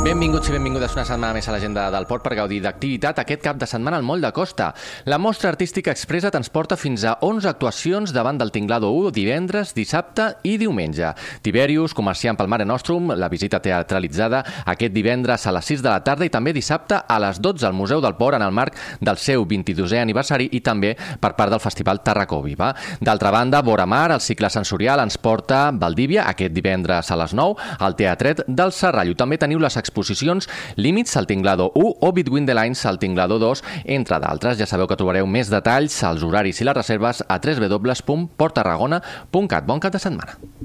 Benvinguts i benvingudes una setmana més a l'agenda del Port per gaudir d'activitat aquest cap de setmana al Moll de Costa. La mostra artística expressa transporta fins a 11 actuacions davant del Tinglado 1 divendres, dissabte i diumenge. Tiberius, comerciant pel Mare Nostrum, la visita teatralitzada aquest divendres a les 6 de la tarda i també dissabte a les 12 al Museu del Port en el marc del seu 22è aniversari i també per part del Festival Tarracó Viva. D'altra banda, Vora Mar, el cicle sensorial, ens porta Valdívia aquest divendres a les 9 al Teatret del Serrallo. També teniu les exposicions Límits al Tinglado 1 o Between the Lines al Tinglado 2, entre d'altres. Ja sabeu que trobareu més detalls, els horaris i les reserves a www.porttarragona.cat. Bon cap de setmana.